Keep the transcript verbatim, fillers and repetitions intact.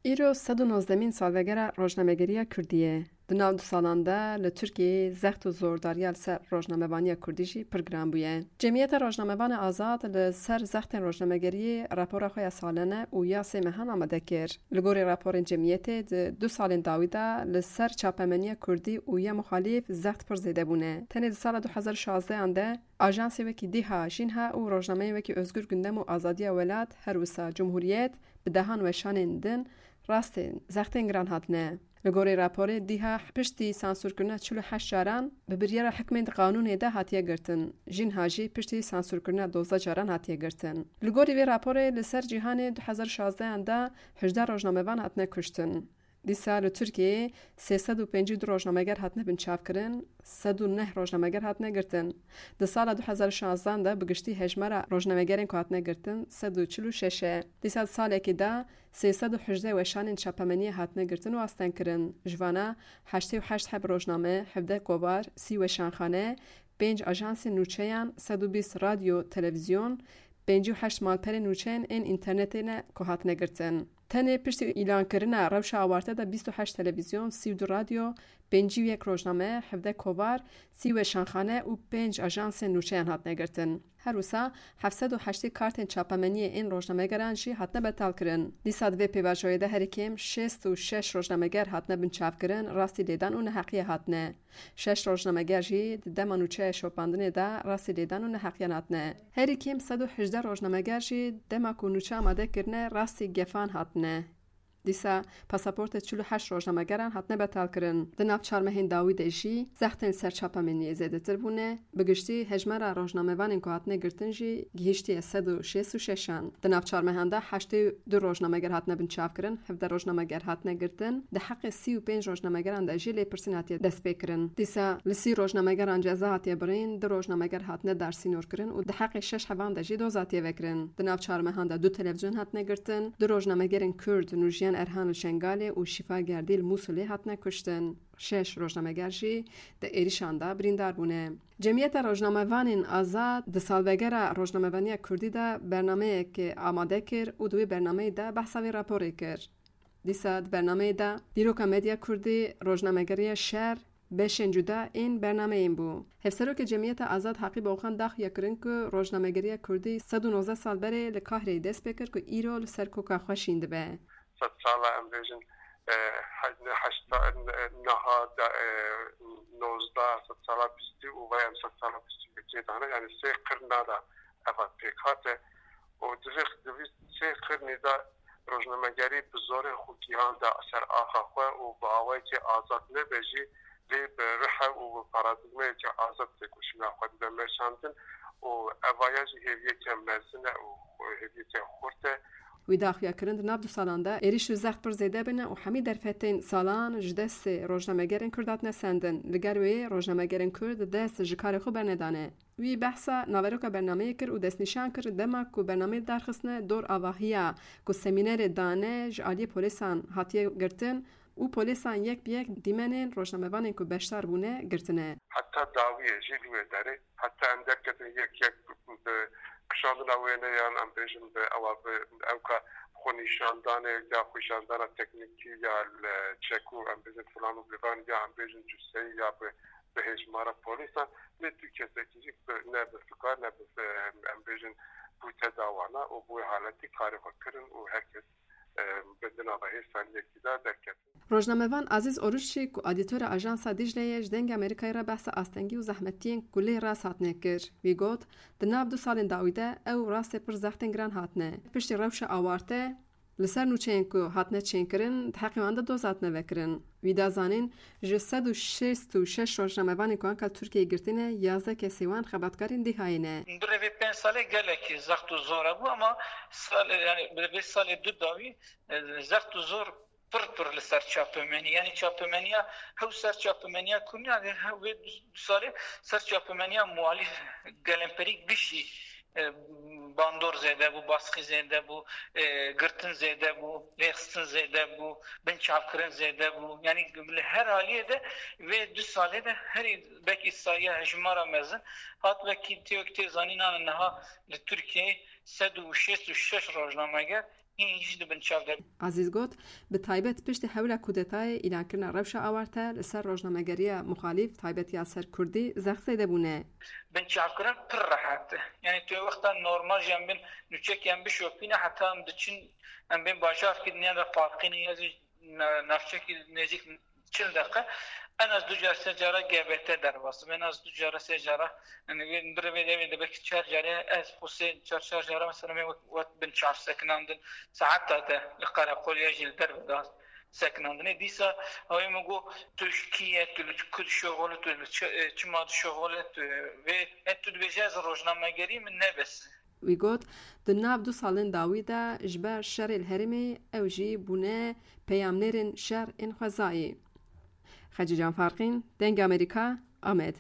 Îro sed û nozdemîn salvegera rojnamegeriya Kurdî ye. Di nav du salan de li Tirkiyeyê zext û zordariya li ser rojnamevaniya Kurdî jî pir giran bûye. Cemiyeta Rojnamevanê Azad li ser zextên rojnamegeriyê rapora xwe ya salene û ya sê mehan amade kir. Li gorî raporên cemiyetê di du salên dawî de li ser çapemeniya Kurdî û ya muxalîf zext pir zêde bûne. Tenê di sala du hezar û şazdehan de ajansê wekî Dîha, Jînha û rojnameyên wekî Özgür Gündem û Azadiya Welat, her wisa Cumhuriyet, bi dehan weşanên din rastên zextên giran hatine. Li gorî raporê Dîha piştî sansûrkirina çil û heşt caran bi biryara hikmên di qanûnê de hatiye girtin. Jînha jî piştî sansûrkirina dozdeh caran hatiye girtin. Li gorî vê raporê li ser cîhanê du hezar û şazdehan de hejdeh rojnamevan hatine kuştin. Dîsa li Tirkiyeyê sê sed û pêncî û du rojnameger hatine binçavkirin, sed û neh rojnameger hatine girtin. Di sala du hezar û şazdehan de bi giştî hejmara rojnamegerên ku hatine girtin sed û çil û şeş e. Dîsa di salekê de sê sed û hejdeh weşanên çapemeniyê hatine girtin û astengkirin. Ji vana heştê û heşt heb rojname, hevdeh kovar, sî weşanxane, pênc ajansên nûçeyan, sed û bîst radyo, televîzyon, pêncî û heşt malperên nûçeyên ên înternetê ne ku hatine girtin. Tenê piştî îlankirina rewşa awarte de bîst û heşt televîzyon, sî û du radyo, pêncî û yek rojname, hevdeh kovar, sî weşanxane û pênc ajansên nûçeyan hatine girtin. Her wisa heft sed û heştê kartên çapemeniyê ên rojnamegeran jî hatine betalkirin. Dîsa di vê pêvajoyê de herî kêm şêst û şeş rojnameger hatine binçavkirin, rastî lêdan û neheqiyê hatine. Şeş rojnameger jî di dema nûçeya şopandinê de rastî lêdan û neheqiyan hatine. Herî kêm sed û hejdeh rojnameger jî dema ku nûçe amade kirine rastî gefan hatine. Dîsa pasaportê çil û heşt rojnamegeran hatine betalkirin. Di nav çar mehên dawî de jî zextên ser çapemeniyê zêdetir bûne. Bi giştî hejmara rojnamevanên ku hatine girtin jî gihîştiye sed û şêst û şeşan. Di nav çar mehan de heştê û du rojnameger hatine binçavkirin, hevdeh rojnameger hatine girtin. Di heqê sî û pênc rojnamegeran de jî lêpirsîn hatiye destpêkirin. Dîsa li sî rojnamegeran ceza hatiye birîn, du rojnameger hatine darsînorkirin û di heqê şeş hevan de jî doz hatiye vekirin. Di nav çar mehan de du televîzyon hatine girtin, du rojnamegerên Kurd Nûjiyan Erhan li Şengalê û Şîfa Gerdî li Mûsilê hatine kuştin. Şeş rojnameger jî di êrişan de birîndar bûne. Cemiyeta Rojnamevanên Azad di salvegera rojnamevaniya Kurdî de bernameyek amade kir û di wê bernameyê de behsa vê raporê kir. Dîsa di bernameyê de Dîroka Medya Kurdî, Rojnamegeriya Şer, beşên cuda ên bernameyên bû. Hevserokê Cemiyeta Azad Haqî Boxan daxuya kirin ku rojnamegeriya Kurdî sed û nozdeh sal berê li Kahreyê dest pê kir ku îro li ser koka xwe şîn dibe. Sed sala em bêjin, e, he-, heyşta, e, niha de, e, nozdeh, sed sala bîstî û vay em sed sala bîstî yekê dane, yani sê qirna de eva pêk hate û di vê, di vî sê qirnî de rojnamegerî bi zorê xwe gihanda ser axa xwe û bi awayekî azad nebe jî, lê bi rihe û bi paradîgmeyekî azad têkoşîna xwe dide meşandin û evaya jî hêviyeke mezin e û hêviyeke xurt e. Wî daxuya kirin di nav du salan de êrîş û zext pir zêde bine û hemî derfetên salan ji destê rojnamegerên Kurd hatine sendin. Li gel wê rojnamegerên Kurd dest ji karê xwe bernedane. Wî behsa naveroka bernameyê kir û destnîşan kir, dema ku bernameyê darxistine dor avahiya ku semînerê dane ji aliyê polîsan hatiye girtin û polîsan yek bi yek dîmenên rojnamevanên ku beşdar bûne girtine. Heta dawiyê jî li wê derê, heta em derketin yek yek bi kişandina wêneyan, em bêjin bi ewa bi ewka xwenîşandanê ya xwenîşandana teknîkî ya li çekû, em bêjin filan û filan ya em bêjin cuseyî ya bi bi hêjmara polîsan, lê tu kesekî jî bi, ne bi fikar, ne bi, em, em bêjin, bûte dawana û bi wê haletî karê xwe kirin û her kes, em, bi di nava hêsaniyekî de derketin. Rojnamevan Azîz Oruç jî ku edîtora Ajansa Dîcle ye, ji Dengê Amerîkayê re behsa astengî û zehmetiyên ku lê rast hatine kir. Wî got, di nav du salên dawî de ew rastê pir zextên giran hatine. Piştî rewşa awarte, Li ser nûçeyên ku hatine çênkirin, di heqê wan de doz hatine vekirin. Wî da zanîn, ji sed û şêst û şeş rojnamevanên ku anka li Tirkiyeyê girtine, yazdeh kesê wan xebatkarên Dîhayê ne. Bi rê vê pênc salê gelekî zext û zor hebû, ama sal-, yani bi rê vê salê du dawî, e, zext û zor pir pir li ser çapemenî. Yani çapemeniya, hew ser çapemeniya kurnî, yani he-, wê du, du salê ser çapemeniya muhalîf, gelemperî gişî, e, bandor zêde bû, baskî zêde bû, e, girtin zêde bû, rêxistin zêde bû, binçavkirin zêde bû. Yani li her aliyê de vê du salê de herî belkî sayîya hejmara mezin hat, belkî tê wek tê zanînan niha li Tirkiyeyê sed û şêst û şeş rojnameger Hîn jî di binçav de. Ezîz got, bi taybet piştî hewla kudetayê îlankirina rewşa awarte li ser rojnamegeriya muxalîf, taybetiya ser kurdî, zexseyde bûne. Binçavkirin pir rehet e. Yani tu wexta normal jî em bên nûçek em bişopîne, heta em diçin, em bên bajarkî dinya de parkîne ya jî na-, navçekî nêzîk çil deqe, en az du car sê cara G B T derbas. En az du cara sê cara, yani bir ve de, de belki çar cara, ez xwe sê çar çar cara mesela me wet, wet bin çar sekinandin, saeta de li qereqol ya jî li derve de sekinandinê. Dîsa ew ê min got, tu ji kî ye, tu li ku dişoxole, tu li çi, e, çima dişoxole, tu vê, e, tu dibêje ez rojnamegerî, min nebes. Wî got, di nav du salên dawî de ji ber şerê li herêmê ew jî bûne peyamnêrên şer ên xwezayî. Xecîcan Farqîn, Dengê Amerîka, Amed.